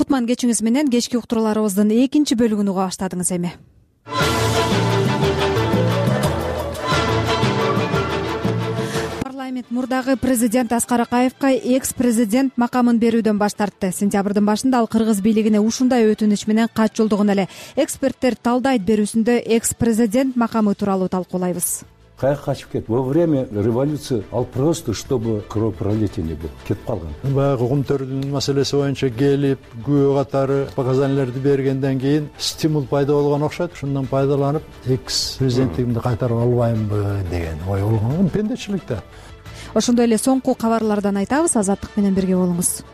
Кутман кечиңиз менен кечки уктурууларыбыздын экинчи бөлүгүн уга баштадыңыз эми. Парламент мурдагы президент Аскар Акаевка экс-президент макамын берүүдөн баш тартты. Сентябрдын башында ал кыргыз бийлигине ушундай өтүнүч менен кат жолдогон эле. Эксперттер талдайт берүүсүндө экс-президент макамы тууралуу талкуулайбыз. Каяка качып кетти? Во время революции ал просто, чтобы кровопролитие не было, кетип калган. Баягы кумтөрдүн маселеси боюнча келип, күбө катары показанияларды бергенден кийин стимул пайда болгон окшойт. Ушундан пайдаланып, экс-президенттигимди кайтарып албаймынбы деген ой болгон. Пендечилик да. Ошондой эле соңку кабарлардан айтабыз. Азаттык менен бирге болуңуз.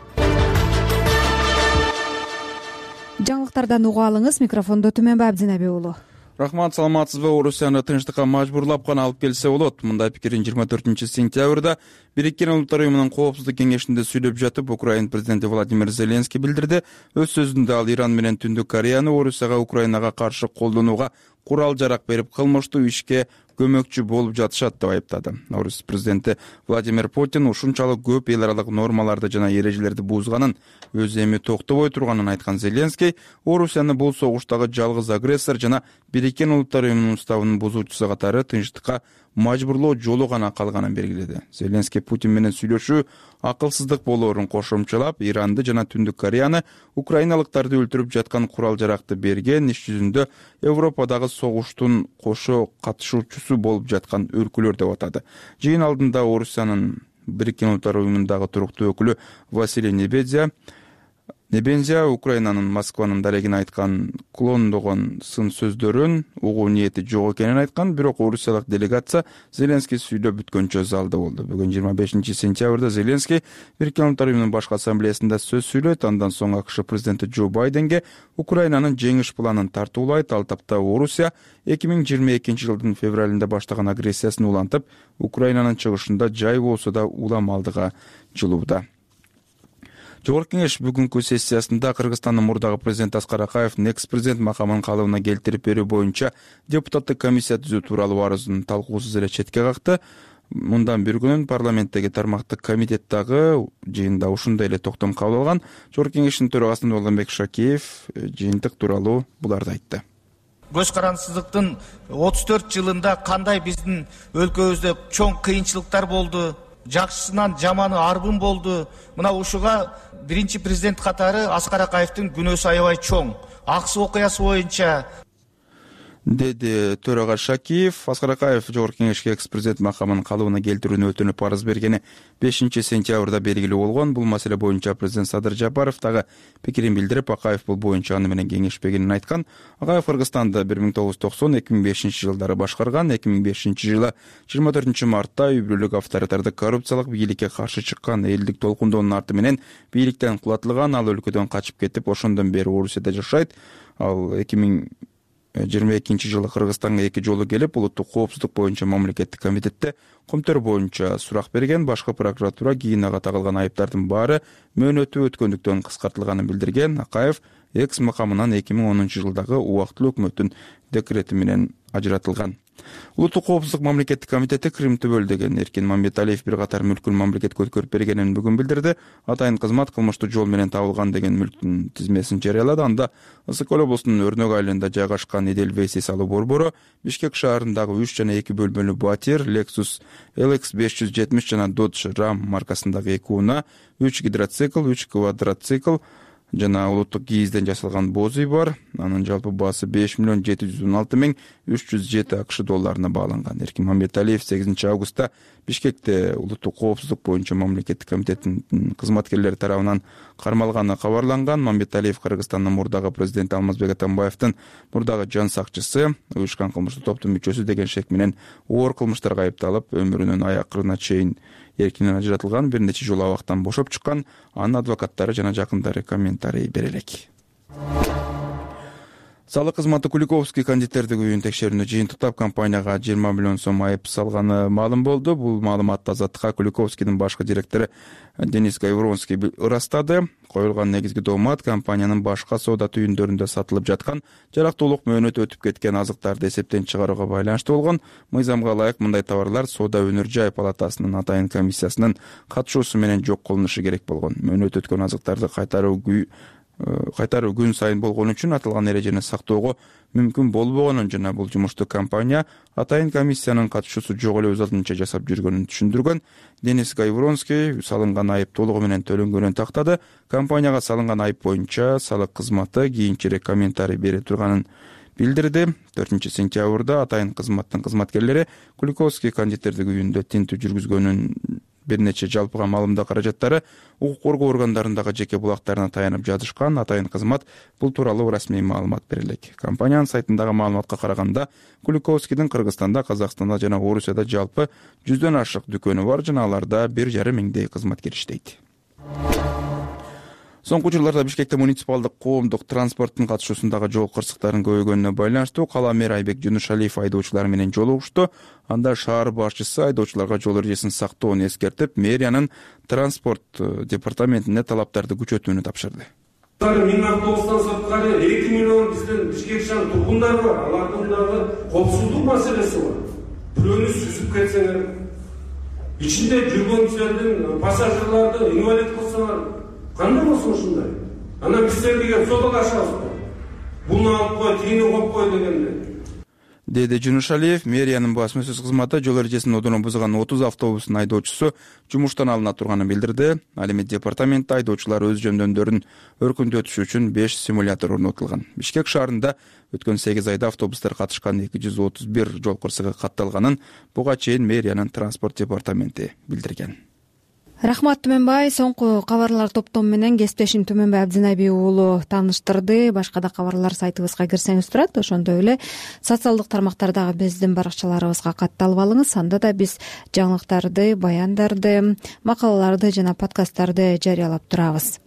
Жаңылыктардан угуп алыңыз. Микрофондо Түмөнбай Абдинаби уулу. Рахмат, саламатсызбы? Орусияны тынчтыкка мажбурлап гана алып келсе болот. Мындай пикирин 24-сентябрда Бириккен Улуттар уюмунун коопсуздук кеңешинде сүйлөп жатып, Украина президенти Владимир Зеленский билдирди. Өз сөзүндө ал Иран менен Түндүк Кореяны Орусияга, Украинага каршы колдонууга курал-жарак берип, кылмыштуу ишке көмөкчү болуп жатышат деп айыптады. Орус президенти Владимир Путин ушунчалык көп эл аралык нормаларды жана эрежелерди бузганын, өзү эми токтобой турганын айткан Зеленский, Орусияны бул согуштагы жалгыз агрессор жана Бириккен Улуттар уюмунун уставынын бузуучусу катары тынчтыкка мажбурлоо жолу гана калганын белгиледи. Зеленский Путин менен сүйлөшүү акылсыздык болоорун кошумчалап, Иранды жана Түндүк Кореяны украиналыктарды өлтүрүп жаткан курал-жаракты берген, иш жүзүндө Европадагы согуштун кошо катышуучусу болуп жаткан өлкөлөр деп атады. Жыйын алдында Орусиянын Бириккен Улуттар уюмундагы туруктуу өкүлү Василий Небензия Украинанын Москванын дарегине айткан клондогон сын сөздөрүн угуу ниети жок экенин айткан, бирок орусиялык делегация Зеленский сүйлөп бүткөнчө залда болду. Бүгүн 25-сентябрда Зеленский Бириккен Улуттар уюмунун башкы ассамблеясында сөз сүйлөйт. Андан соң АКШ президенти Джо Байденге Украинанын жеңиш планын тартуулайт. Ал тапта Орусия 2022 жылдын февралында баштаган агрессиясын улантып, Украинанын чыгышында жай болсо да улам алдыга жылууда. Жогорку кеңеш бүгүнкү сессиясында Кыргызстандын мурдагы президенти Аскар Акаевдин экс-президент макамын калыбына келтирип берүү боюнча депутаттык комиссия түзүү тууралуу арызын талкуусуз эле четке какты. Мындан бир күнүн парламенттеги тармактык комитет дагы жыйында ушундай эле токтом кабыл алган. Жогорку кеңештин төрагасы Нурланбек Шакеев жыйынтык тууралуу буларды айтты. Көз карансыздыктын 34 жылында кандай биздин өлкөбүздө чоң кыйынчылыктар болду, жакшысынан жаманы арбын болду. Мына ушуга биринчи президент катары Аскар Акаевдин күнөөсү аябай чоң. Аксы окуясы боюнча деди төрага Шакиев. Аскар Акаев жогорку кеңешке экс-президент макамын калыбына келтирүүнү өтүнүп арыз бергени 5-сентябрда белгилүү болгон. Бул маселе боюнча президент Садыр Жапаров дагы пикирин билдирип, Акаев бул боюнча аны менен кеңешпегенин айткан. Акаев Кыргызстанды 1990-2005 жылдары башкарган. 2005 жылы 24 мартта үй бүлөлүк авторитардык коррупциялык бийликке каршы чыккан, элдик толкундоонун арты менен бийликтен кулатылган. Ал өлкөдөн качып кетип, ошондон бери Орусияда жашайт. Ал 2022 жылы Кыргызстанга 2 жолу келип, улуттук коопсуздук боюнча мамлекеттик комитетте көмтөр боюнча сурак берген. Башкы прокуратура кийин ага тагылган айыптардын баары мөөнөтү өткөндүктөн кыскартылганын билдирген. Акаев экс макамынан 2010 жылдагы убактылуу өкмөттүн декрети менен ажыратылган. Улуттук коопсуздук мамлекеттик комитети Крым төбөлдөгөн Эркин Мамбеталиев бир катар мүлкүн мамлекетке өткөрүп бергенин бүгүн билдирди. Атайын кызмат кылмыштуу жол менен табылган деген мүлктүн тизмесин жарыялады. Анда Ысык Көл облусунун Өрнөк айылында жайгашкан Эдельвейс эс алуу борбору, Бишкек шаарындагы 3 жана 2 бөлмөлүү батир, Lexus LX 570 жана Dodge Ram маркасындагы 2 унаа, 3 гидроцикл, 3 квадроцикл жана улуттук кийизден жасалган боз үй бар. Анын жалпы баасы 5,716,307 АКШ долларына бааланган. Эркин Мамбеталиев 8 августта Бишкекте улуттук коопсуздук боюнча мамлекеттик комитеттин кызматкерлери тарабынан кармалганы кабарланган. Мамбеталиев Кыргызстандын мурдагы президенти Алмазбек Атамбаевдин мурдагы жан сакчысы, уюшкан кылмыштуу топтун мүчөсү деген шек менен оор кылмыштарга айыпталып, өмүрүнүн аякырына чейин эркинен ажыратылган, бир нече жолу абактан бошоп чыккан. Анын адвокаттары жана жакындары комментарий бере элек. Салык кызматы Куликовский кондитердик үйүн текшерүүнү жыйынтыктап компанияга 20 миллион сом айып салганы маалым болду. Бул маалыматты Азаттыкка Куликовскийдин башкы директору Денис Гайвронский ырастады. Коюлган негизги доомат компаниянын башка соода түйүндөрүндө сатылып жаткан жарактуулук мөөнөтү өтүп кеткен азыктарды эсептен чыгарууга байланыштуу болгон. Мыйзамга ылайык мындай товарлар соода өнөр жай палатасынын атайын комиссиясынын катышуусу менен жок кылынышы керек болгон. Мөөнөт өткөн азыктарды кайтаруу кайтаруу күн сайын болгон үчүн аталган эрежени сактоого мүмкүн болбогонун жана бул жумушту компания атайын комиссиянын катышуусу жок эле өз алдынча жасап жүргөнүн түшүндүргөн. Денис Гайвронский салынган айып толугу менен төлөнгөнүн тактады. Компанияга салынган айып боюнча салык кызматы кийинчерээк комментарий бере турганын билдирди. 4-сентябрда атайын кызматтын кызматкерлери Куликовский кондитердик үйүндө тинтүү жүргүзгөнүн бир нече жалпыга маалымдоо каражаттары укук коргоо органдарындагы жеке булактарына таянып жазышкан. Атайын кызмат бул тууралуу расмий маалымат бере элек. Компаниянын сайтындагы маалыматка караганда Куликовскийдин Кыргызстанда, Казакстанда жана Орусияда жалпы 100дөн ашык дүкөнү бар жана аларда 1,5 миңдей кызматкер иштейт. Соңку жылдарда Бишкекте муниципалдык коомдук транспорттун катышуусундагы жол кырсыктарын көбөйгөнүнө байланыштуу кала мэри Айбек Жунушалиев айдоочулар менен жолугушту. Анда шаар башчысы айдоочуларга жол эрежесин сактоону эскертип, мэриянын транспорт департаментине талаптарды күчөтүүнү тапшырды. 1000 автобустан сырткары 2 миллион биздин Бишкек шаар тургундары бар. Алардын дагы коопсуздук маселеси бар. Бирөөнү сүзүп кетсеңер, ичинде жүргөнчүлөрдүн пассажирларды инвалид кылсаңар, кандай болсун ушундай? Анан биз сендерге сотко ашабызбы? Буну алып кой, тигини коюп кой дегенде. Деди Жунушалиев. Мэриянын басма-сөз кызматы жол эрежесин одоно бузган 30 автобустун айдоочусу жумуштан алына турганын билдирди. Ал эми департаментте айдоочулар өз жөндөмдөрүн өркүндөтүш үчүн 5 симулятор орнотулган. Бишкек шаарында өткөн 8 айда автобустар катышкан 231 жол кырсыгы катталганын буга чейин мэриянын транспорт департаменти билдирген. Рахмат Түмөнбай. Соңку кабарлар топтому менен кесиптешим Түмөнбай Абдинабий уулу тааныштырды. Башка да кабарлар сайтыбызга кирсеңиз турат. Ошондой эле социалдык тармактардагы биздин баракчаларыбызга катталып алыңыз. Анда да биз жаңылыктарды, баяндарды, макалаларды жана подкасттарды жарыялап турабыз.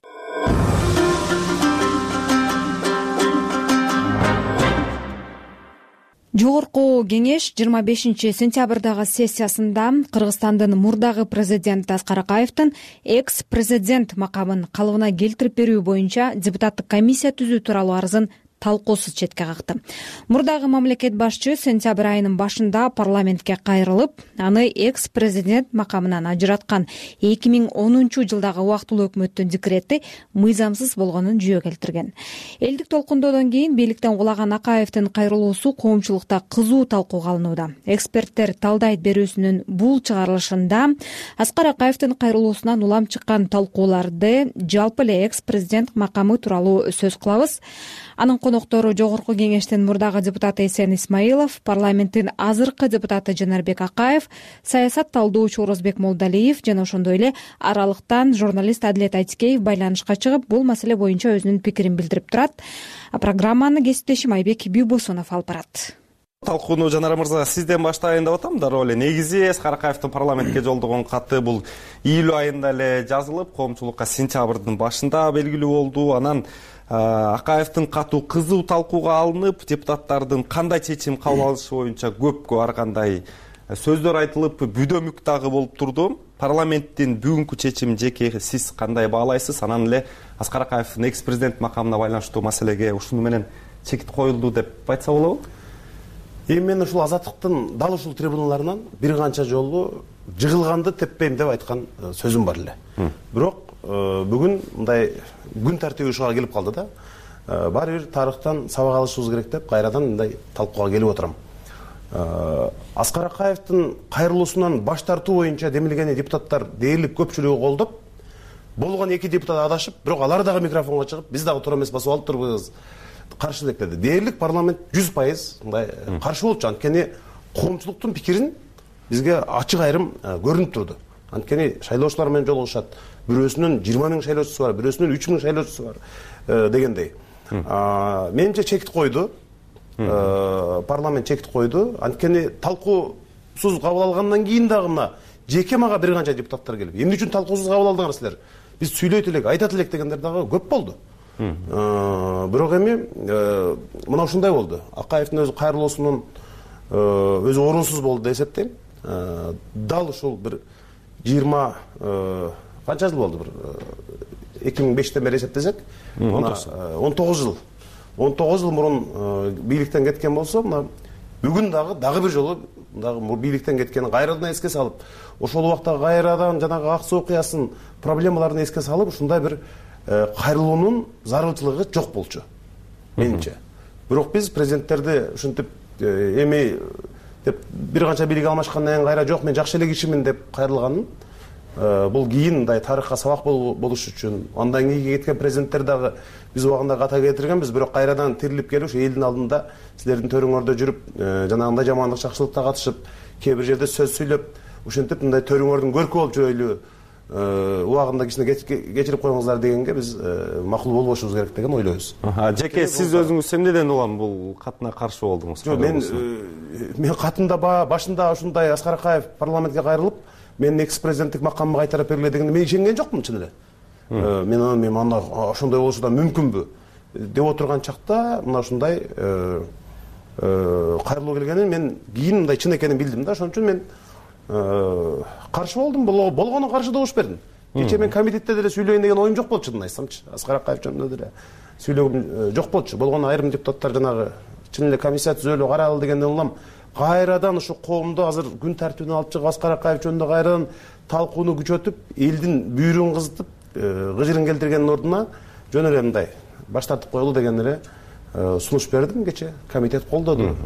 Жогорку кеңеш 25-сентябрдагы сессиясында Кыргызстандын мурдагы президенти Аскар Акаевдин экс-президент макамын калыбына келтирип берүү боюнча депутаттык комиссия түзүү тууралуу арызын талкуусуз четке какты. Мурдагы мамлекет башчы сентябрь айынын башында парламентке кайрылып, аны экс-президент макамынан ажыраткан 2010 жылдагы убактылуу өкмөттүн декрети мыйзамсыз болгонун жүйө келтирген. Элдик толкундоодон кийин бийликтен кулаган Акаевдин кайрылуусу коомчулукта кызуу талкууга алынууда. Эксперттер талдайт берүүсүнүн бул чыгарылышында Аскар Акаевдин кайрылуусунан улам чыккан талкууларды, жалпы эле экс-президент макамы тууралуу сөз кылабыз. Анын коноктору Жогорку кеңештин мурдагы депутаты Эсен Исмаилов, парламенттин азыркы депутаты Жанарбек Акаев, саясат талдоочу Орозбек Молдалиев жана ошондой эле аралыктан журналист Адилет Айтикеев байланышка чыгып, бул маселе боюнча өзүнүн пикирин билдирип турат. Программаны кесиптешим Айбек Бийбосунов алып барат. Талкууну Жанар мырза сизден баштайын деп атам. Дароо эле негизи Аскар Акаевдин парламентке жолдогон каты бул июль айында эле жазылып, коомчулукка сентябрдын башында белгилүү болду. Анан Акаевдин катуу кызуу талкууга алынып, депутаттардын кандай чечим кабыл алышы боюнча көпкө ар кандай сөздөр айтылып, бүдөмүк дагы болуп турду. Парламенттин бүгүнкү чечимин жеке сиз кандай баалайсыз? Анан эле Аскар Акаевдин экс-президент макамына байланыштуу маселеге ушуну менен чекит коюлду деп айтса болобу? Мен ушул азаттыктын дал ушул трибуналарынан бир канча жолу жыгылганды теппейм деп айткан сөзүм бар эле. Бирок бүгүн мындай күн тартиби ушуга келип калды да. Баары бир тарыхтан сабак алышыбыз керек деп кайрадан мындай талкууга келип отурам. Аскар Акаевдин кайрылуусунан баш тартуу боюнча демилген депутаттар дээрлик көпчүлүгү колдоп, болгон 2 депутат адашып, бирок алар дагы микрофонго чыгып, биз дагы туура эмес басып алып турбуз, каршылык деди. Дээрлик парламент 100% мындай каршы болчу. Анткени коомчулуктун пикирин бизге ачык айрым көрүнүп турду. Анткени шайлоочулар менен жолугушат. Бирөөсүнүн 20 000 шайлоочусу бар, бирөөсүнүн 3 000 шайлоочусу бар дегендей. Менимче чекит койду. Парламент чекит койду. Анткени талкуусуз кабыл алгандан кийин дагы мына жеке мага бир канча депутаттар келип, эмне үчүн талкуусуз кабыл алдыңар силер? Биз сүйлөйт элек, айтат элек дегендер дагы көп болду. Бирок эми мына ушундай болду. Акаевдин өзү кайрылуусунун өзү орунсуз болду деп эсептейм. Дал ушул бир 20 канча жыл болду, бир 2005-тен бери эсептесек, 19 жыл. 19 жыл мурун бийликтен кеткен болсо, мына бүгүн дагы бир жолу дагы бийликтен кеткенин кайрадан эске салып, ошол убакта кайрадан жанагы ак суу окуясын, проблемаларын эске салып, ушундай бир кайрылуунун зарылчылыгы жок болчу менимче. Бирок биз президенттерди ушинтип эми деп бир канча бийлик алмашкандан кийин кайра жок мен жакшы эле кишимин деп кайрылганын бул кийин мындай тарыхка сабак болуш үчүн андан кийинки кеткен президенттер дагы биз убагында ката кетиргенбиз, бирок кайрадан тирилип келип ушу элдин алдында силердин төрүңөрдө жүрүп жанагындай жамандык жакшылыкта катышып кээ бир жерде сөз сүйлөп ушинтип мындай төрүңөрдүн көркү болуп жүрөйлү убагында кичине кечирип коюңуздар дегенге биз макул болбошубуз керек деген ойлойбуз. Жеке сиз өзүңүз эмнеден улам бул катына каршы болдуңуз? Жок, мен катымда башында ушундай Аскар Акаев парламентке кайрылып менин экс-президенттик макамымы кайтарып бергиле дегенде мен ишенген жокмун чын эле. Мен анда ошондой болушу да мүмкүнбү деп отурган чакта мына ушундай кайрылуу келгенин мен кийин мындай чын экенин билдим да. Ошон үчүн мен каршы болдум. Болгону каршы добуш бердим. Кечээ мен комитетте деле сүйлөйүн деген оюм жок болчу, чынын айтсамчы. Аскар Акаев жөнүндө деле сүйлөгүм жок болчу. Болгону айрым депутаттар жанагы чын эле комиссия түзөлүп карайлы дегенден улам кайрадан ушу коомду азыр күн тартибине алып чыгып Аскар Акаев жөнүндө кайрадан талкууну күчөтүп, элдин бүйүрүн кызытып, гыжырын келтиргендин ордуна жөн эле мындай баш тартып коелу деген эле сунуш бердим кечээ. Комитет колдоду.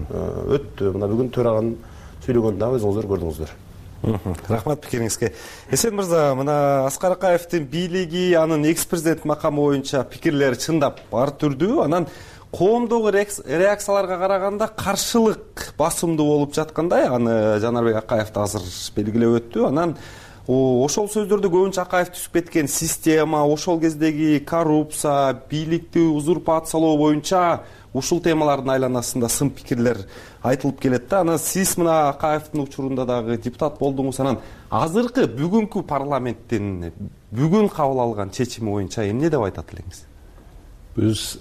Өттү. Мына бүгүн төраганын сүйлөгөнүн дагы өзүңүздөр көрдүңүздөр. Рахмат пикириңизге. Эсен мырза, мына Аскар Акаевдин бийлиги, анын экс-президент макамы боюнча пикирлери чындап ар түрдүү. Анан коомдогу реакцияларга караганда каршылык басымдуу болуп жаткандай. Аны Жанарбек Акаев да азыр белгилеп өттү. Анан ошол сөздөрдө көбүнчө Акаев түшүп кеткен система, ошол кездеги коррупция, бийликти узурпациялоо боюнча ушул темалардын айланасында сын пикирлер айтылып келет да. Анан сиз мына Акаевдин учурунда дагы депутат болдуңуз. Анан азыркы бүгүнкү парламенттин бүгүн кабыл алган чечими боюнча эмне деп айтат элеңиз? Биз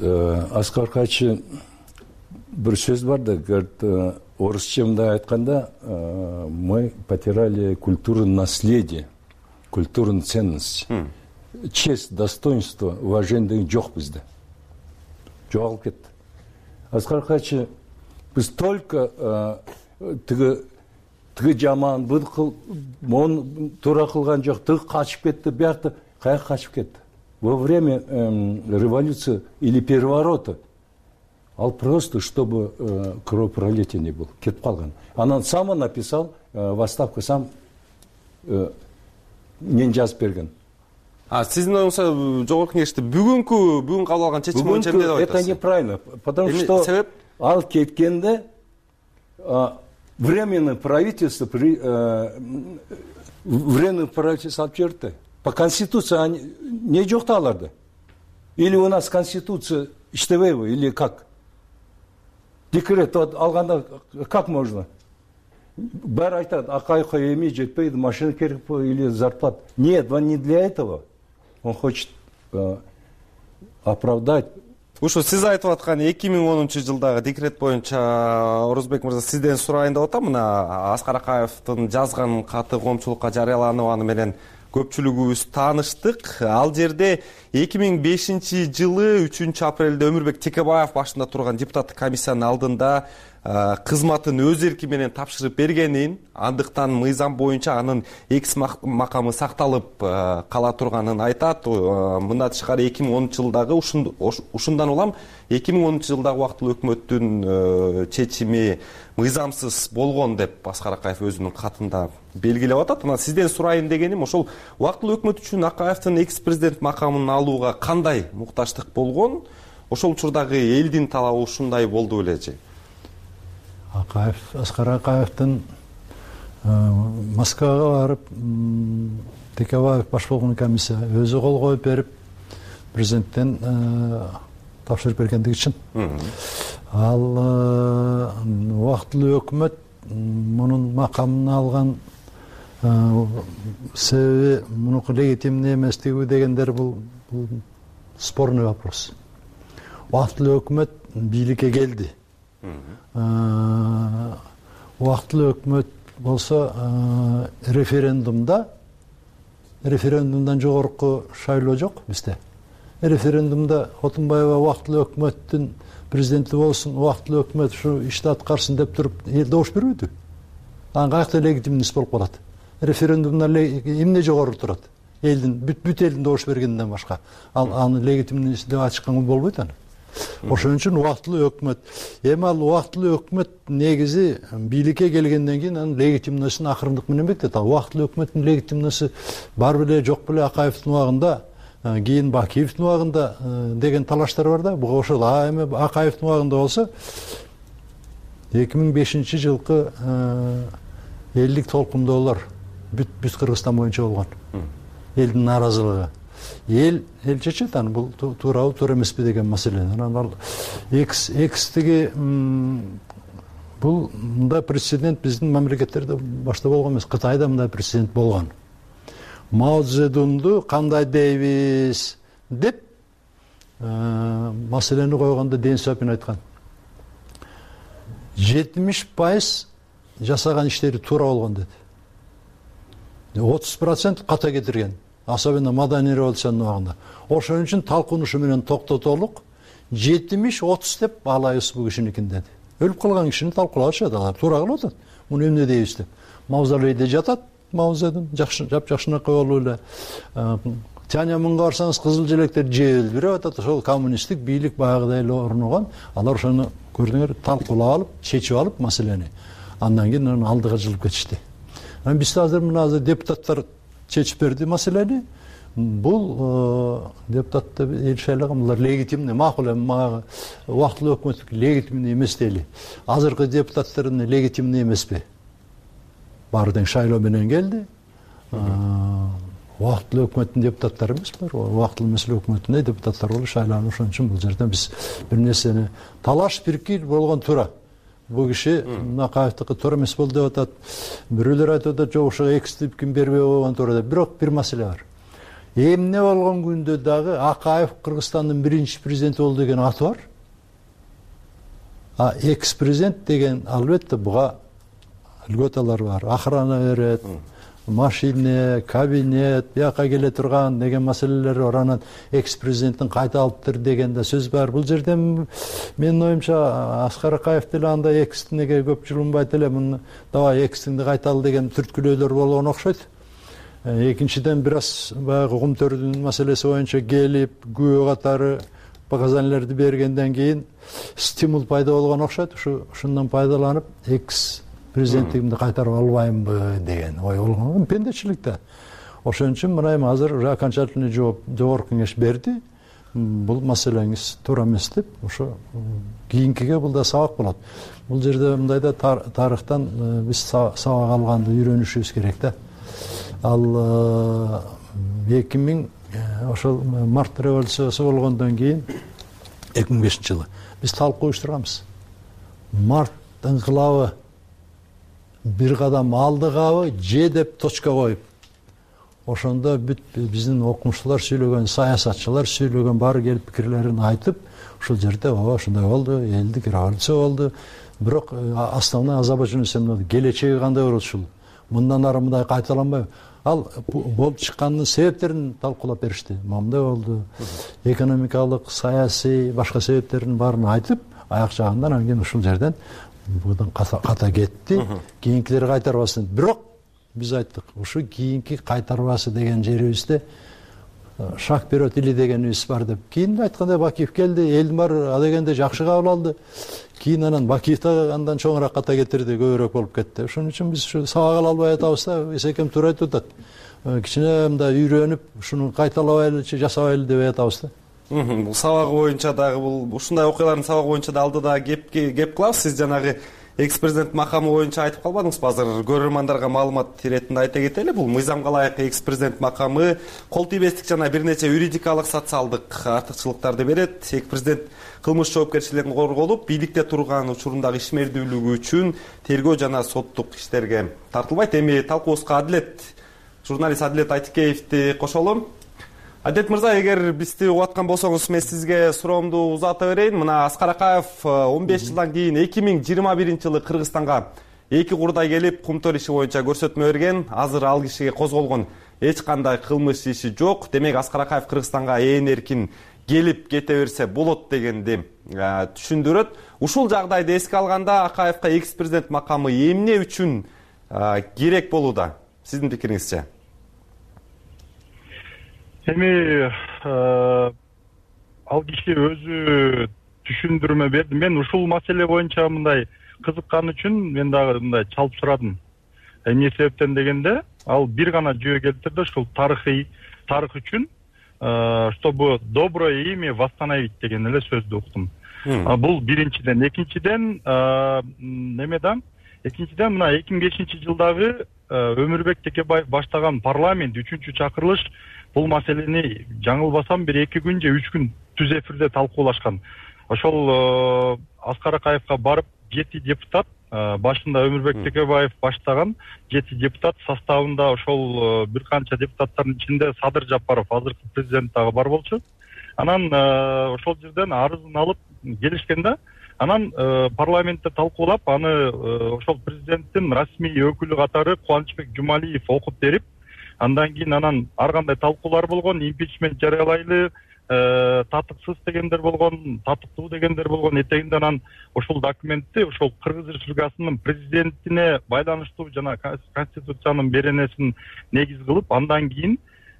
Аскар Акаевич бир сөз бар да, говорит, орысча мындай айтканда, мы потеряли культуру наследия, культурную ценность. Честь, достоинство, уважение деген жок бизде. Жоголуп кетти. Аскар Акаевич биз только тиги жаман, мону туура кылган жок, тиги качып кетти, биякта каяка качып кетти. Во время революции или переворота ал просто, чтобы кровопролития не было, кетип калган. Анан сам написал в отставку, сам мен жазып берген. Сиздин оюңузда жогорку кеңеште бүгүн кабыл алган чечим боюнча эмне деп айтасыз? Это неправильно, потому что себеп ал кеткенде временное правительство алып жүрдү. По конституции не жок да аларда. Или у нас конституция иштебейби, или как? Декрет алганда как можно? Баары айтат, Акаевка эми жетпейди, машина керек или зарплата. Нет, он не для этого. Он хочет оправдать. Ушу сиз айтып аткан 2010-жылдагы декрет боюнча Орозбек мырза сизден сурайын деп атам. Мына Аскар Акаевдин жазган каты коомчулукка жарыяланып, аны менен көпчүлүгүбүз тааныштык. Ал жерде 2005-жылы 3-апрелде Өмүрбек Текебаев башында турган депутаттык комиссиянын алдында кызматын өз эрки менен тапшырып бергенин, андыктан мыйзам боюнча анын экс макамы сакталып кала турганын айтат. Мындан тышкары 2010-жылдагы ушундан улам 2010-жылдагы убактылуу өкмөттүн чечими мыйзамсыз болгон деп Аскар Акаев өзүнүн катында белгилеп атат. Анан сизден сурайын дегеним, ошол убактылуу өкмөт үчүн Акаевдин экс-президент макамын алууга кандай мукташтык болгон? Ошол учурдагы элдин талабы ушундай болду бележи? Аскар Акаевдин Москвага барып, Текебаев баш болгон комиссия өзү кол коюп берип, президенттен тапшырып бергендиги чын. Ал убактылуу өкмөт мунун макамын алган себеби мунуку легитимный эместиги дегендер бул спорный вопрос. Убактылуу өкмөт бийликке келди. Убактылуу өкмөт болсо референдумдан жогорку шайлоо жок бизде. Референдумда Отунбаева убактылуу өкмөттүн президенти болсун, убактылуу өкмөт ушу ишти аткарсын деп туруп эл добуш бербейди. Анан каякта легитимность болуп калат? Референдумда эмне жогору турат? элдин бүт элдин добуш бергенден башка аны легитимный деп ачканга болбойт аны. Ошон үчүн убактылуу өкмөт. Эми ал убактылуу өкмөт негизи бийликке келгенден кийин анын легитимностун акырындык менен бекитет. Убактылуу өкмөттүн легитимности бар беле жок беле Акаевдин убагында, кийин Бакиевдин убагында деген талаштар бар да. Буга ошол эми Акаевдин убагында болсо 2005-жылкы элдик толкундоолор бүт Кыргызстан боюнча болгон. Элдин нааразылыгы. Эл чечет аны, бул туурабы туура эмеспи деген маселени. Анан ал экстиги бул мындай президент биздин мамлекеттерде башта болгон эмес. Кытайда мындай президент болгон. Мао Цзэдунду кандай дейбиз деп маселени койгондо Дэн Сяопин айткан. 70% жасаган иштери туура болгон деди. 30% ката кетирген. Особенно маданий революциянын убагында. Ошон үчүн талкунушу менен токтотолук 70-30 деп алайбыз бул кишиникин деди. Өлүп калган кишини талкуулашат, алар туура кылып атат. Муну эмне дейбиз деп. Мавзолейде жатат Мао Цзэдун, жапжакшынакай болуп эле. Тяньаньмэнге барсаңыз кызыл желектер желбиреп атат. Ошол коммунисттик бийлик баягыдай эле орногон. Алар ошону көрдүңөр, талкуулап алып, чечип алып маселени. Андан кийин аны алдыга жылып кетишти. Биз азыр депутаттар чечип берди маселени. Бул депутаттар элшайлыгы булар легитимный, макул эми мага убактылуу өкмөт легитимный эмес дейли. Азыркы депутаттардын легитимный эмеспи? Баары тең шайлоо менен келди. Убактылуу өкмөттүн депутаттары эмес булар. Убактылуу эмес өкмөттүн депутаттары болуп шайланып, ошон үчүн бул жерден биз бир нерсени талаш пиркир болгон туура. Бул киши Акаевдики туура эмес болду деп атат. Бирөөлөр айтып атат, жок ошого экстип ким бербей болгон туура деп. Бирок бир маселе бар. Эмне болгон күндө дагы Акаев Кыргызстандын биринчи президенти болду деген аты бар. Экс-президент деген албетте буга льготалар бар. Охрана берет, машина, кабинет, бияка келе турган деген маселелер бар. Анан экс-президенттин кайта алыптыр деген да сөз бар. Бул жерде менин оюмча Аскар Акаев деле андай экстине көп жылынбайт эле. Муну давай экстинди кайталы деген түрткүлөөлөр болгон окшойт. Экинчиден бир аз баягы Кумтөрдүн маселеси боюнча келип, күбө катары показаниялерди бергенден кийин стимул пайда болгон окшойт. Ушундан пайдаланып экс-президенттигимди кайтарып албаймынбы деген ой болгон. Пендечилик да. Ошон үчүн мына эми азыр окончательный жооп жогорку кеңеш берди. Бул маселеңиз туура эмес деп, ошо кийинкиге бул да сабак болот. Бул жерде мындайда тарыхтан биз сабак алганды үйрөнүшүбүз керек да. Ал 2000 ошол март революциясы болгондон кийин 2005-жылы биз талкуу уюштурганбыз. Март ыңкылабы бир кадам алдыгабы же деп точка коюп. Ошондо бүт биздин окумуштуулар сүйлөгөн, саясатчылар сүйлөгөн баары келип пикирлерин айтып, ушул жерде ошондой болду, элдик революция болду. Бирок основной озабоченность келечеги кандай болот ушул? Мындан ары мындай кайталанбайбы? Ал болуп чыккандын себептерин талкуулап беришти. Мындай болду. Экономикалык, саясий, башка себептерин баарын айтып, аяк жагында анан кийин ушул жерден будан ката кетти. Кийинкилери кайтарбасын. Бирок биз айттык, ушу кийинки кайтарбасы деген жерибизде шаг берет или дегенибиз бар деп. Кийин айткандай Бакиев келди, элдин баары адегенде жакшы кабыл алды. Кийин анан Бакиев да андан чоңураак ката кетирди, көбүрөөк болуп кетти. Ошон үчүн биз ушу сабак ала албай атабыз да, эсекем туура айтып атат. Кичине мындай үйрөнүп, ушуну кайталабайлычы, жасабайлы деп атабыз да. Бул сабагы боюнча дагы бул ушундай окуялардын сабагы боюнча да алдыда кеп кылабыз. Сиз жанагы экс-президент макамы боюнча айтып калбадыңызбы? Азыр көрөрмандарга маалымат иретинде айта кетели. Бул мыйзамга ылайык экс-президент макамы кол тийбестик жана бир нече юридикалык, социалдык артыкчылыктарды берет. Экс-президент кылмыш жоопкерчилигин корголуп, бийликте турган учурундагы ишмердүүлүгү үчүн тергөө жана соттук иштерге тартылбайт. Эми талкуубузга журналист Адилет Айтикеевди кошолом. Адет мырза, эгер бизди угуп аткан болсоңуз, мен сизге суроомду узата берейин. Мына Аскар Акаев 15 жылдан кийин 2021-жылы Кыргызстанга 2 курдай келип, Кумтөр иши боюнча көрсөтмө берген. Азыр ал кишиге козголгон эч кандай кылмыш иши жок. Демек Аскар Акаев Кыргызстанга эркин келип кете берсе болот дегенди түшүндүрөт. Ушул жагдайды эске алганда Акаевка экс-президент макамы эмне үчүн керек болууда? Сиздин пикириңизче? эми ал киши өзү түшүндүрмө берди. Мен ушул маселе боюнча мындай кызыккан үчүн мен дагы мындай чалып сурадым. Эмне себептен дегенде, ал бир гана жөө келтирди, ушул тарых үчүн, чтобы доброе имя восстановить деген эле сөздү уктум. Бул биринчиден. Экинчиден мына 2005-жылдагы Өмүрбек Текебаев баштаган парламент 3-чакырылыш бул маселени жаңылбасам бир 2 күн же 3 күн түз эфирде талкуулашкан. Ошол Аскар Акаевка барып 7 депутат, башында Өмүрбек Текебаев баштаган 7 депутат составында ошол бир канча депутаттардын ичинде Садыр Жапаров, азыркы президент дагы бар болчу. Анан ошол жерден арызын алып келишкен да. Анан парламентте талкуулап, аны ошол президенттин расмий өкүлү катары Кубанычбек Жумалиев окуп берип, андан кийин анан ар кандай талкуулар болгон, импичмент жарыялайлы, татыксыз дегендер болгон, татыктуу дегендер болгон. Этегинде анан ошол документти ошол Кыргыз Республикасынын президентине байланыштуу жана Конституциянын беренесин негиз кылып, андан кийин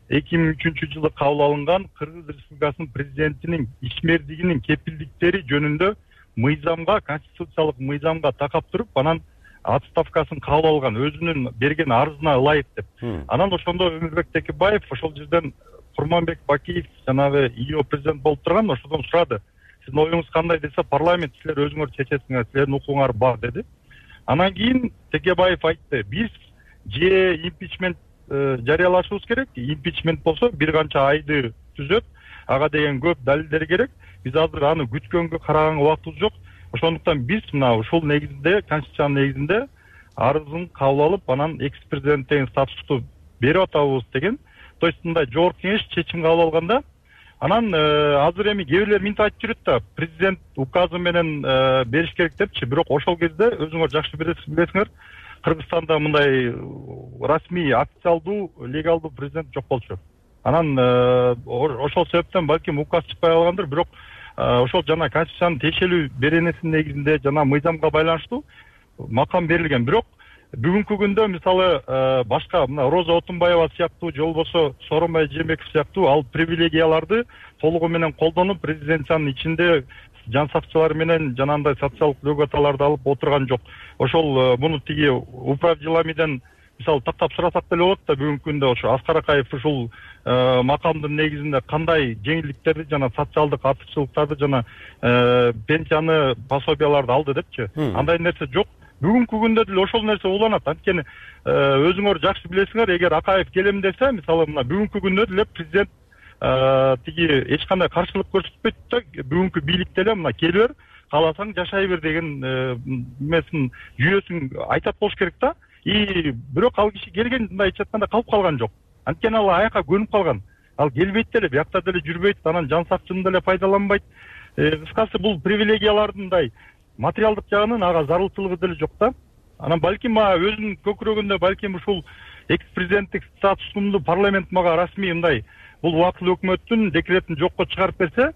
2003-жылы кабыл алынган Кыргыз Республикасынын президентинин ишмердигинин кепилдиктери жөнүндө мыйзамга, конституциялык мыйзамга такап туруп, анан отставкасын кабыл алган, өзүнүн берген арызына ылайык деп. Анан ошондо Өмүрбек Текебаев ошол жерден Курманбек Бакиев жанагы ИО президент болуп турган, ошодон сурады. Сиздин оюңуз кандай десе, парламент силер өзүңөр чечесиңер, силердин укугуңар бар деди. Анан кийин Текебаев айтты, биз же импичмент жарыялашыбыз керек, импичмент болсо бир канча айды түзөт, ага деген көп далилдер керек. Биз азыр аны күткөнгө, караганга убактыбыз жок. Ошондуктан биз мына ушул негизинде, конституциянын негизинде арызын кабыл алып, анан экс-президент деген статусту берип атабыз деген. То есть мындай жогорку кеңеш чечим кабыл алганда, анан азыр эми кээ бирлер минтип айтып жүрөт да, президент указы менен бериш керек депчи. Бирок ошол кезде өзүңөр жакшы билесиңер, Кыргызстанда мындай расмий, официалдуу, легалдуу президент жок болчу. Анан ошол себептен балким указ чыкпай калгандыр, бирок ошол жана конституциянын тиешелүү беренесинин негизинде жана мыйзамга байланыштуу макам берилген. Бирок бүгүнкү күндө мисалы башка мына Роза Отунбаева сыяктуу же болбосо Сооронбай Жээнбеков сыяктуу ал привилегияларды толугу менен колдонуп, президенциянын ичинде жан сакчылар менен жанагындай социалдык льготаларды алып отурган жок. Ошол муну тиги управ деламиден мисалы тактап сурасак деле болот да, бүгүнкү күндө ошо Аскар Акаев ушул макамдын негизинде кандай жеңилдиктерди жана социалдык артыкчылыктарды жана пенсияны, пособияларды алды депчи. Андай нерсе жок. Бүгүнкү күндө деле ошол нерсе уланат. Анткени өзүңөр жакшы билесиңер, эгер Акаев келем десе, мисалы мына бүгүнкү күндө деле президент тиги эч кандай каршылык көрсөтпөйт да, бүгүнкү бийлик деле мына келе бер, кааласаң жашай бер деген эмесин, жүйөсүн айтат болуш керек да. Бирок ал киши келген мындай айтканда калып калган жок. Анткени ал аяка көнүп калган. Ал келбейт деле, биякта деле жүрбөйт, анан жан сакчыны деле пайдаланбайт. Кыскасы бул привилегиялардын мындай материалдык жагынан ага зарылчылыгы деле жок да. Анан балким өзүнүн көкүрөгүндө балким ушул экс-президенттик статусумду парламент мага расмий мындай бул убактылуу өкмөттүн декретин жокко чыгарып берсе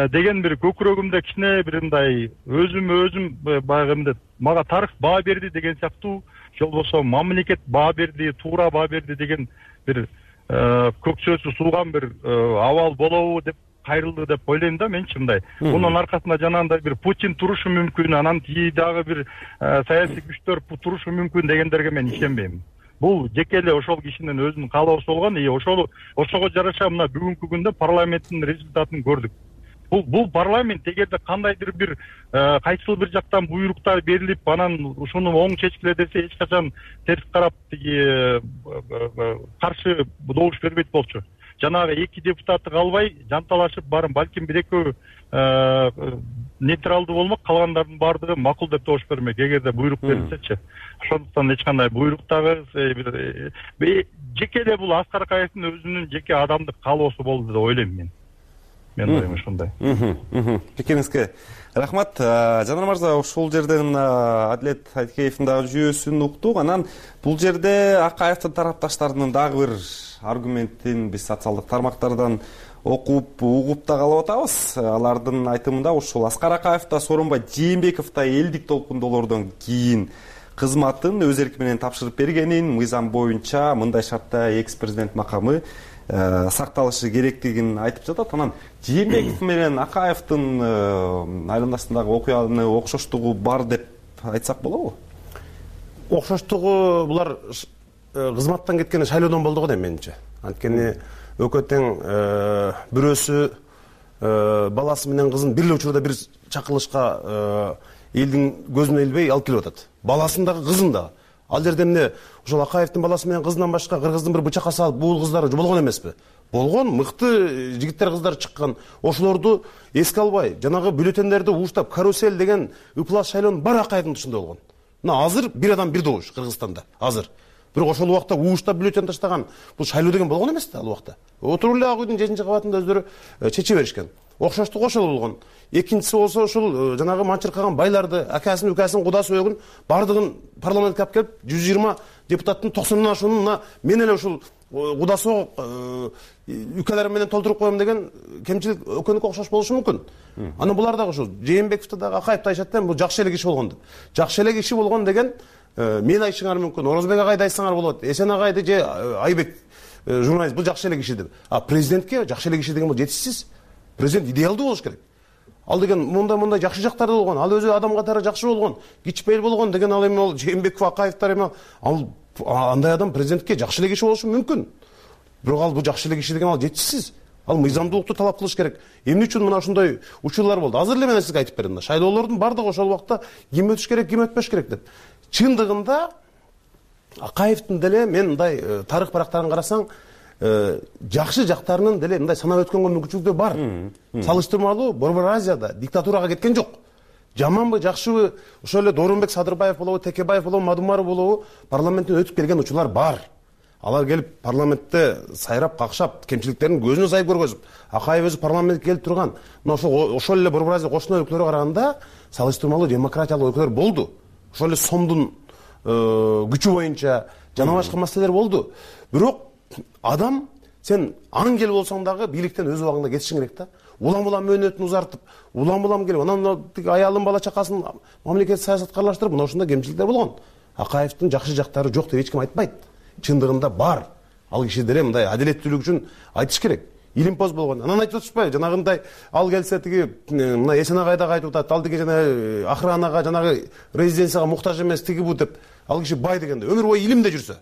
деген бир көкүрөгүмдө кичине бир мындай өзүм баягы эмне мага тарых баа берди деген сыяктуу, же болбосо мамлекет баа берди, туура баа берди деген бир көкчөсү сууган бир абал болобу деп кайрылды деп ойлойм да менчи мындай. Мунун аркасында жанагындай бир Путин турушу мүмкүн, анан тиги дагы бир саясий күчтөр турушу мүмкүн дегендерге мен ишенбейм. Бул жеке эле ошол кишинин өзүнүн каалоосу болгон, ошого жараша мына бүгүнкү күндө парламенттин результатын көрдүк. Бул парламент эгерде кандайдыр бир кайсыл бир жактан буйруктар берилип, анан ушуну оң чечкиле десе, эч качан терс карап тиги каршы добуш бербейт болчу. Жанагы 2 депутатты калбай жанталашып барын балким бир экөө нейтралдуу болмок, калгандардын баардыгы макул деп добуш бермек, эгерде буйрук берилсечи. Ошондуктан эч кандай буйрук дагы жеке эле бул Аскар Акаевдин өзүнүн жеке адамдык каалоосу болду деп ойлойм мен. Мен оюм ушундай. Пикириңизге рахмат. Жанар мырза, ушул жерден Адилет Айткеевдин дагы жүйөсүн уктук. Анан бул жерде Акаевдин тарапташтарынын дагы бир аргументин биз социалдык тармактардан окуп, угуп да калып атабыз. Алардын айтымында ушул Аскар Акаев да Сооронбай Жээнбеков да элдик толкундоолордон кийин кызматын өз эрки менен тапшырып бергенин, мыйзам боюнча мындай шартта экс-президент макамы сакталышы керектигин айтып жатат. Анан Жээнбеков менен Акаевдин айланасындагы окуяны окшоштугу бар деп айтсак болобу? Окшоштугу булар кызматтан кеткен шайлоодон болду го дейм менимче. Анткени экөө тең бирөөсү баласы менен кызын бир эле учурда бир чакырылышка элдин көзүнө илбей алып келип атат. Баласын дагы кызын дагы. Ал жерде эмне ошол Акаевдин баласы менен кызынан башка кыргыздын бир бычакка салып буул кыздары болгон эмеспи? Болгон, мыкты жигиттер кыздар чыккан. Ошолорду эске албай, жанагы бюллетендерди ууштап, карусель деген ыплас шайлоонун баары Акаевдин тушунда болгон. Мына азыр бир адам бир добуш Кыргызстанда. Азыр. Бирок ошол убакта ууштап бюллетен таштаган бул шайлоо деген болгон эмес да ал убакта. Отуруп эле ак үйдүн 7-кабатында өздөрү чече беришкен. Окшоштук ошол болгон. Экинчиси болсо ошол жанагы манчыркаган байларды, акасын, укасын, кудасы өгүн бардыгын парламентке алып келип 120 депутаттын 90-дан ашуунун мына мен эле ушул кудасы укаларым менен толтуруп коем деген кемчилик экөөнүкү окшош болушу мүмкүн. Анан булар дагы ушул Жээнбековду дагы Акаевди айтышат да, бул жакшы эле киши болгон деп. Жакшы эле киши болгон деген мен айтышыңар мүмкүн, Орозбек агайды айтсаңар болот, Эсен агайды же Айбек журналист бул жакшы эле киши деп. А президентке жакшы эле киши деген бул жетишсиз. Президент идеалдуу болуш керек. Ал деген мындай жакшы жактары болгон, ал өзү адам катары жакшы болгон, кичпейил болгон деген ал эми ол Жээнбеков, Акаевдер эми ал андай адам президентке жакшы эле киши болушу мүмкүн. Бирок ал бул жакшы эле киши деген ал жетишсиз. Ал мыйзамдуулукту талап кылыш керек. Эмне үчүн мына ушундай учурлар болду? Азыр эле мен сизге айтып бердим да. Шайлоолордун бардыгы ошол убакта ким өтүш керек, ким өтпөш керек деп. Чындыгында Акаевдин деле мен мындай тарых барактарын карасаң, жакшы жактарынын деле мындай санап өткөнгө мүмкүнчүлүктөр бар. Салыштырмалуу Борбор Азияда диктатурага кеткен жок. Жаманбы, жакшыбы, ошол эле Доорунбек Садырбаев болобу, Текебаев болобу, Мадумаров болобу, парламенттен өтүп келген учурлар бар. Алар келип парламентте сайрап, какшап, кемчиликтерин көзүнө сайып көргөзүп, Акаев өзү парламентке келип турган. Мына ошол эле Борбор Азия кошуна өлкөлөргө караганда салыштырмалуу демократиялык өлкөлөр болду. Ошол эле сомдун күчү боюнча жана башка маселелер болду. Бирок адам сен ангел болсоң дагы бийликтен өз убагында кетишиң керек да. Улам-улам мөөнөтүн узартып, улам-улам келип, анан аялын, бала чакасын мамлекеттик саясатка аралаштырып, мына ушундай кемчиликтер болгон. Акаевдин жакшы жактары жок деп эч ким айтпайт. Чындыгында бар. Ал киши деле мындай адилеттүүлүк үчүн айтыш керек. Илимпоз болгон. Анан айтып атышпайбы? Жанагындай ал келсе тиги мына Эсен агай дагы айтып атат. Ал деген жана охранага, жанагы резиденцияга муктаж эмес тиги бу деп. Ал киши бай дегенде өмүр бою илимде жүрсө.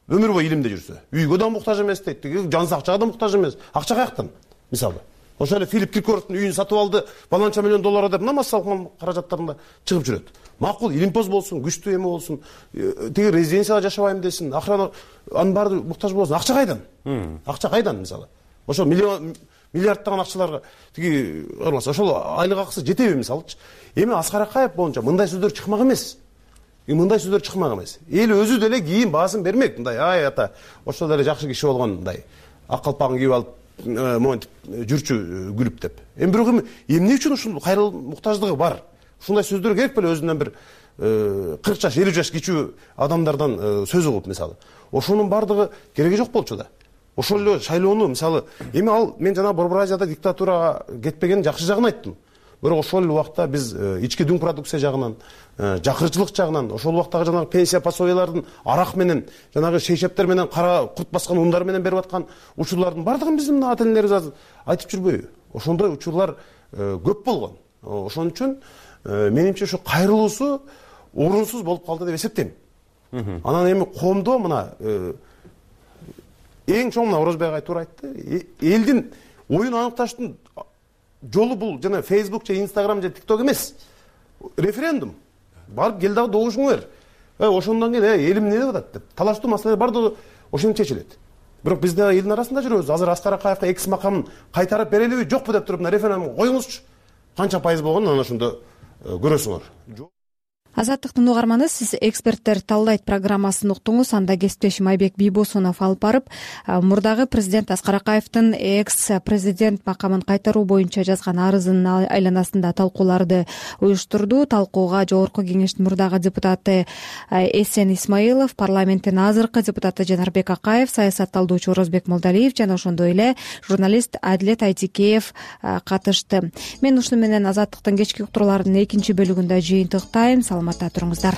Өмүр бою илимде жүрсө. Үйгө да муктаж эмес дейт. Тиги жан акчага да муктаж эмес. Акча каяктан? Мисалы. Ошол эле Филипп Киркоровдун үйүн сатып алды, баланча миллион доллар деп мына массалык каражаттарында чыгып жүрөт. Макул, илимпоз болсун, күчтүү эме болсун, тиги резиденцияда жашабайм десин, охрана анын баары муктаж болсун. Акча кайдан? Акча кайдан мисалы? Ошол миллиарддаган акчаларга тиги кырмаса, ошол айлык акысы жетеби мисалычы? Эми Аскар Акаев боюнча мындай сөздөр чыкмак эмес. Мындай сөздөр чыкмак эмес. Эл өзү деле кийин баасын бермек. Мындай ай ата, ошол эле жакшы киши болгон мындай ак калпагын кийип алып монтип жүрчү күлүп деп. Эми бирок эмне үчүн ушул кайрылуу муктаждыгы бар? Ушундай сөздөр керек беле өзүнөн бир 40 жаш, 50 жаш кичүү адамдардан сөз угуп мисалы. Ошонун бардыгы кереги жок болчу да. Ошол эле шайлоону мисалы эми ал мен жана Борбор Азияда диктатурага кетпеген жакшы жагын айттым. Бирок ошол эле убакта биз ички дүң продукция жагынан, жакырчылык жагынан, ошол убактагы жанагы пенсия пособиялардын арак менен, жанагы шейшептер менен кара курт баскан ундар менен берип аткан учурлардын бардыгын биздин ата энелерибиз айтып жүрбөйбү? Ошондой учурлар көп болгон. Ошон үчүн менимче ушу кайрылуусу орунсуз болуп калды деп эсептейм. Анан эми коомдо мына эң чоң мына Орозбек агай туура айтты. Элдин оюн аныкташтын жолу бул жана Facebook же Instagram же TikTok эмес. Референдум. Барып кел дагы добушуңу бер. Ошондон кийин элим эмне деп атат деп. Талаштуу маселе бардыгы ошентип чечилет. Бирок биз да элдин арасында жүрөбүз. Азыр Аскар Акаевга экс макамын кайтарып берелиби, жокпу деп туруп мына референдум коюңузчу. Канча пайыз болгонун анан ошондо көрөсүңөр. Азаттыктын угарманы, сиз эксперттер талдайт программасын уктуңуз. Анда кесиптешим Айбек Бийбосунов алып барып, мурдагы президент Аскар Акаевдин экс-президент макамын кайтаруу боюнча жазган арызынын айланасында талкууларды уюштурду. Талкууга Жогорку Кеңештин мурдагы депутаты Эсен Исмаилов, парламенттин азыркы депутаты Жанарбек Акаев, саясатталдоочу Орозбек Молдалиев жана ошондой эле журналист Адилет Айтикеев катышты. Мен ушуну менен Азаттыктын кечки уктурууларынын экинчи бөлүгүндө жыйынтыктайм. Саламатта туруңуздар.